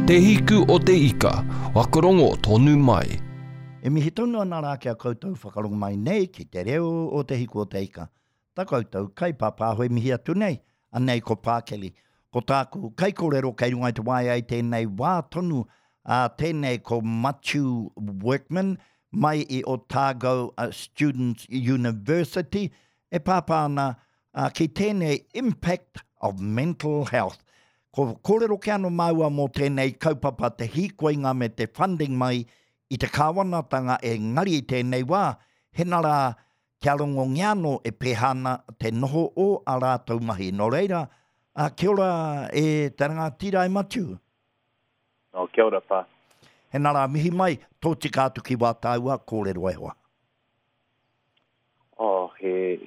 Te Hiku o te Ika, whakarongo tonu mai. E mihi tonu ana rā ki a koutou whakarongo mai nei ki te reo o Te Hiku o te Ika. Ta koutou kaipāpāho e mihi atu nei, anei ko Pākeli. Ko tāku kaikōrero kei runga i te waea i tēnei wā tonu, ā, tēnei ko Matiu Workman mai i Otago Students University e pāpā ana ā, ki tēnei Impact of Mental Health. Ko kōrero kē anō māua mō tēnei kaupapa te hīkoinga me te funding mai i te kāwanatanga engari i tēnei wā, hena rā kia rongongia anō e pēhā ana te noho o ā rātou mahi. Nō reira, ā, kia ora e te rangatira e Matiu. Oh, kia ora, pā. Hena rā, mihi mai, tōtika atu ki wā tāua kōrero e hoa. Oh, he,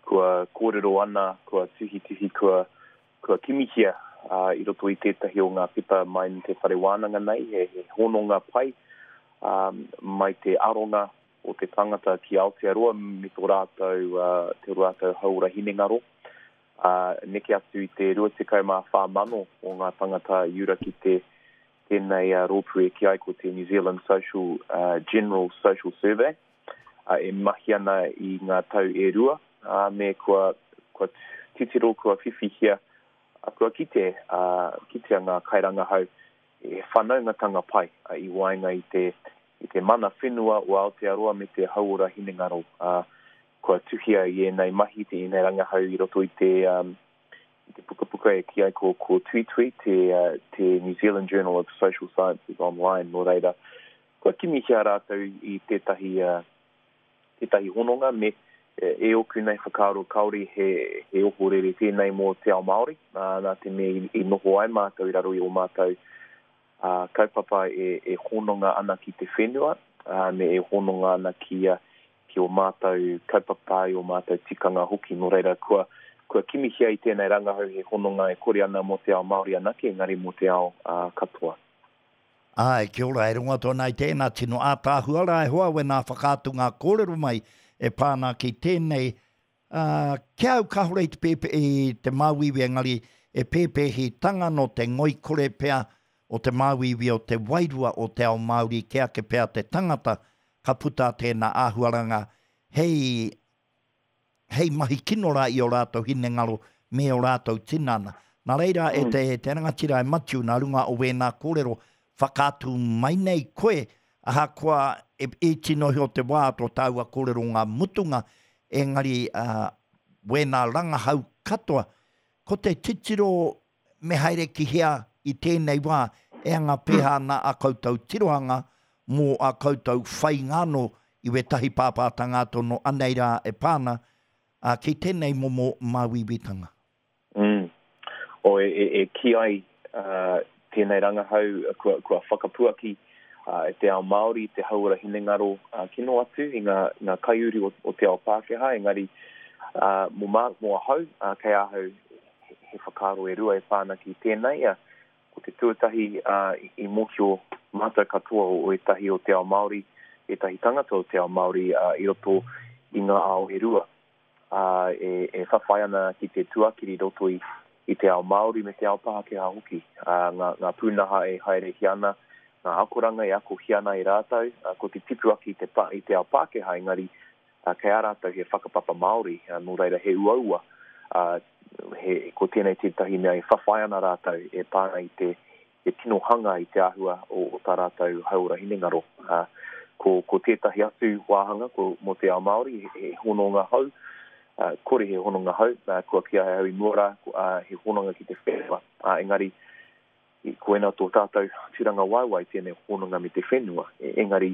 kua kōrero ana, kua tuhituhi, kua, kua kimihia uh, i roto i tētahi o ngā pepa mai i te whare wānanga nei, he, he hononga pai um, mai te aronga o te tangata ki Aotearoa me tō rātou, uh, te rātou hauora hinengaro. Uh, neke atu i te 24,000 o ngā tangata i ura ki te tēnei uh, rōpū e kī ai ko te New Zealand Social, uh, General Social Survey. e mahi ana i ngā tau e rua, ā, me kua, kua titiro, kua whiwhihia, kua kite, ā, kitea ngā kairangahau he whanaungatanga pai i waenga i te, i te mana whenua o Aotearoa me te hauora hinengaro, ā, kua tuhia i ēnei mahi, te ēnei rangahau i roto i te, i te pukapuka e kī ai ko, ko Tuitui, te, te New Zealand Journal of Social Sciences Online, nō reira, Kua kimihia rātou i tētahi, tētahi hononga me, e ōku nei whakaaro kāore he, he ohorere tēnei mō te ao Māori, nā te mea i, i noho ai mātou i raro i ō mātou kaupapa e, e hononga ana ki te whenua, me e hononga ana ki, ki ō mātou kaupapa, i ō mātou tikanga hoki. Nō reira, kua, kua kimihia i tēnei rangahau he hononga e kore ana mō te ao Māori anake, engari mō te ao katoa. Āe, kia ora, e rongo atu ana i tēnā tino ātaahua rā e hoa wēnā whakaatunga kōrero mai e pā ana ki tēnei, ā, ki a au kāore i te pēpē, i te māuiui engari e pēpēhitanga nō te ngoikore pea o te māuiui o te wairua o te ao Māori kē ake pea te tangata ka puta tēnā āhuaranga hei hei mahi kino rā i ō rātou hinengaro me ō rātou tinana. Nā reira, e te, te rangatira e Matiu, nā runga o wēnā kōrero, whakaatu mai nei koe, ahakoa e iti noa iho te wā tō tāua kōrero ngā mutunga, engari uh, wēnā rangahau katoa, ko te titiro me haere ki hea i tēnei wā, e anga pēhā ana a koutou tirohanga mō a koutou whainga anō i wētahi pāpātanga atu anō anei rā e pā ana ki tēnei momo māuiuitanga. Mm. O, e, e, e kī ai uh, tēnei rangahau kua, kua whakapuaki uh, e te ao Māori, te hauora hinengaro uh, kino atu i ngā, ngā kaiuru o, o te ao Pākehā, engari uh, mō, mā, mō ahau, uh, kei ahau he whakaaro e rua e pā ana ki tēnei, ā, ko te tuatahi, ā, i mōhio mātou katoa o ētahi o te ao Māori, ētahi tangata o te ao Māori, ā, i roto i ngā ao e rua, ā, e, e whawhai ana ki te tuakiri i roto i, i te ao Māori me te ao Pākehā hoki, ā, ngā, ngā pūnaha e haerehia ana, ngā akoranga e akohia ana e rātou, ā, ko te tipu ake i te, i te ao Pākehā, engari, ā, kei a rātou he whakapapa Māori, ā, nō reira he uaua, ā, he, ko tēnei tētahi mea e whawhai ana rātou e pā ana i te, te tino hanga i te āhua o, o tā rātou hauora hinengaro. Ā, ko, ko tētahi atu wāhanga ko, mō te ao Māori, he, he hononga hou, ā, kore he hononga hou, ā, kua kī ai au i mua rā, ko, ā, he hononga ki te whenua, ā, engari, Koina tō tātou tūrangawaewae tēnei hononga me te whenua. Engari,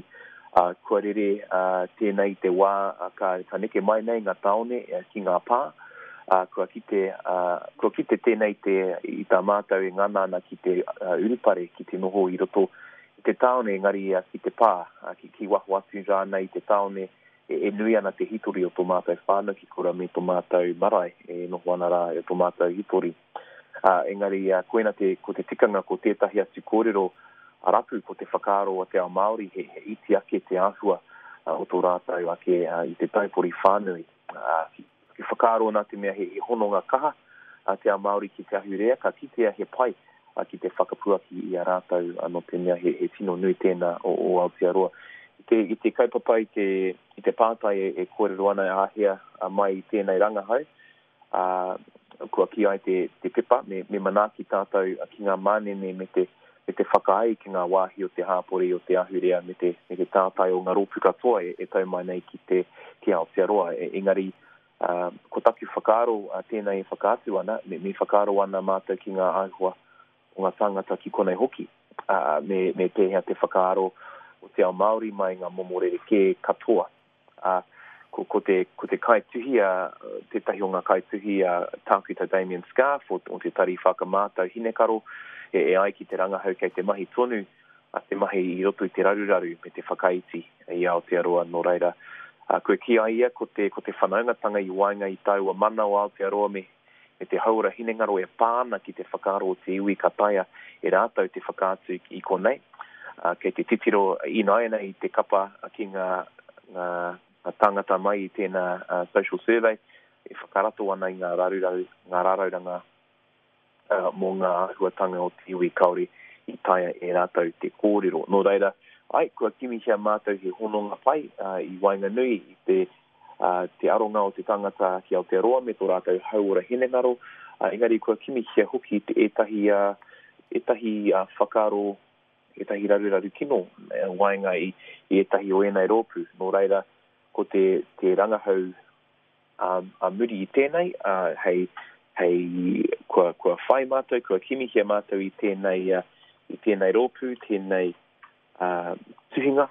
kua rere tēnei i te wā ka neke mai nei ngā tāone ki ngā pā, kua kite, kua kite tēnei te, i tā mātou e ngana ana ki te urupare, ki te noho i roto i te tāone, engari ki te pā, ki waho atu rānei i te tāone, e nui ana te hitori o tō mātou whānau ki kura me tō mātou marae e noho ana rā e tō mātou hitori. Ā, engari, koina te, ko te tikanga ko tētahi atu kōrero a rapu ko te whakaaro o te ao Māori he, he iti ake te āhua o tō rātou ake i te taupori whānui. Ā, ki, ki whakaaro nā te mea he, he hononga kaha a te ao Māori ki te ahurea, ka kitea he pai. ki te whakapuaki i a rātou, nō te mea he tino nui tēnā o Aotearoa. I te, i te kaupapa, i te, i te pātai e kōrero ana āhea mai i tēnei rangahau, ā, kua kī ai te, te pepa me, me manaaki tātou ki ngā manene me te, me te whakaai ki ngā wāhi o te hāpori, o te ahurea me te, me te tātai o ngā rōpū katoa e, e tau mai nei ki te, ki Aotearoa. E, engari, ā, ko taku whakaaro ā, tēnei e whakaatu ana, me, me whakaaro ana mātou ki ngā āhua o ngā tāngata ki konei hoki, ā, me, me pēhea te whakaaro o te ao Māori mai ngā momo rerekē katoa. Ā, ko, ko te, ko te kaituhi a, tētahi o ngā kaituhi a Tākuta Damien Scarf o, o te Tari Whakamātau Hinekaro, e, e ai ki te rangahau kei te mahi tonu a te mahi i roto i te raruraru me te whakaiti i Aotearoa, nō reira, ā, kua kī ai ia ko te, ko te whanaungatanga i waenga i taua mana o Aotearoa me, me te hauora hinengaro e pā ana ki te whakaaro o te iwi ka taea e rātou te whakaatu i konei. Kei te titiro ināianei i te kapa ki ngā, ngā, ngā tāngata mai i tēnā social survey e whakarato ana i ngā raruraru, ngā rarauranga mō ngā āhuatanga o te iwi kāore i taea e rātou te kōrero. Nō reira, ai, kua kimihia mātou he hononga pai i waenganui i te te aronga o te tangata ki Aotearoa me tō rātou hauora hinengaro, engari kua kimihia hoki ētahi, ētahi whakaaro, ētahi raruraru kino waenga i ētahi o ēnei rōpū. Nō reira, ko te, te rangahau ā muri i tēnei, hei, hei, kua, kua whai mātou, kua kimihia mātou i tēnei, i tēnei rōpū, tēnei tuhinga,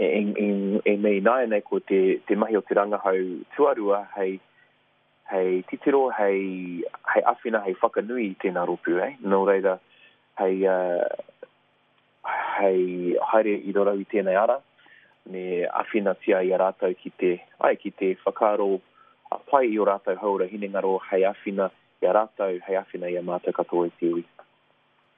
E me ināianei ko te, te mahi o te rangahau tuarua hei, hei titiro, hei, hei āwhina, hei whakanui i tēnā rōpū, eh? Nō reira, hei, hei haere i raro i tēnei ara, me āwhinatia i a rātou ki te, ai, ki te whakaaro pai i ō rātou hauora hinengaro hei āwhina i a rātou, hei āwhina i a mātou katoa i te iwi.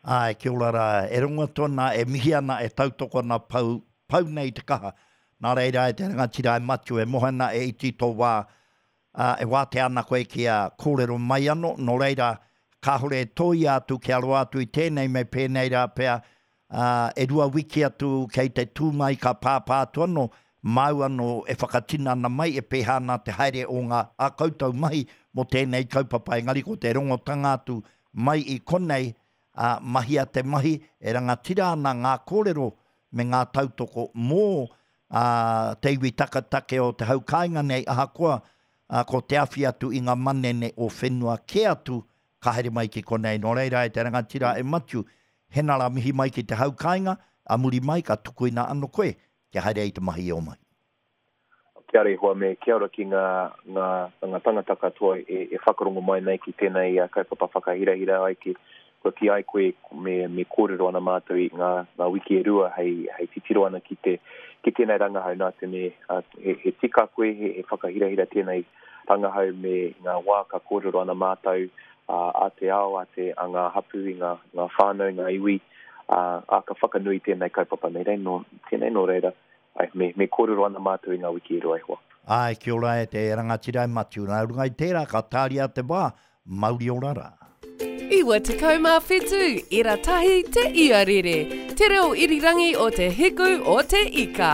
Āe, kia ora rā. E rongo atu ana, e mihi ana, e tautoko ana pau, pau nei te kaha. Nā reira e te rangatira e Matiu, e moe ana, e iti tō wā, ā, e wātea ana koe kia kōrero mai anō, nō reira, kāore e tōia atu kia roa atu i tēnei me pēnei rā pea, ā, e rua wiki atu kei te tū mai ka pāpā atu anō, māu anō e whakatinana mai e pēhea ana te haere o ngā ā koutou mahi mō tēnei kaupapa, engari ko te rongotanga atu Mai i konei, ā, mahia te mahi e rangatira ana ngā kōrero me ngā tautoko mō, ā, te iwi taketake o te hau kāinga nei, ahakoa, ā, ko te awhi atu i ngā manene o whenua kē atu ka haere mai ki konei. Nō reira, e te rangatira e Matiu, hena rā mihi mai ki te hau kāinga, ā muri mai ka tukuina ano koe kia haere ai te mahi i ō mahi. Kia ora e hoa me kia ora ki nga nga nga tangata katoa e e whakarongo mai nei ki tenei kaupapa whakahirahira ai ki kua ki ai koe me me korero ana matou i nga nga wiki e rua hei hei titiro ana ki te ki tenei rangahau na te me he he tika koe he he whakahirahira tenei rangahau me nga wa ka korero ana matou a te ao a te a nga hapu i nga nga whanau nga iwi a a ka whakanui tenei kaupapa nei rei no tenei no reira Ae, me, me kōrero ana mātou i ngā wiki e rua e hoa. Ae, kia ora e te rangatira e Matiu. Nā runga i tērā, ka tāria te wā, mauri ora rā. 97 ira tahi te iarere, te reo irirangi o te hiku o te ika.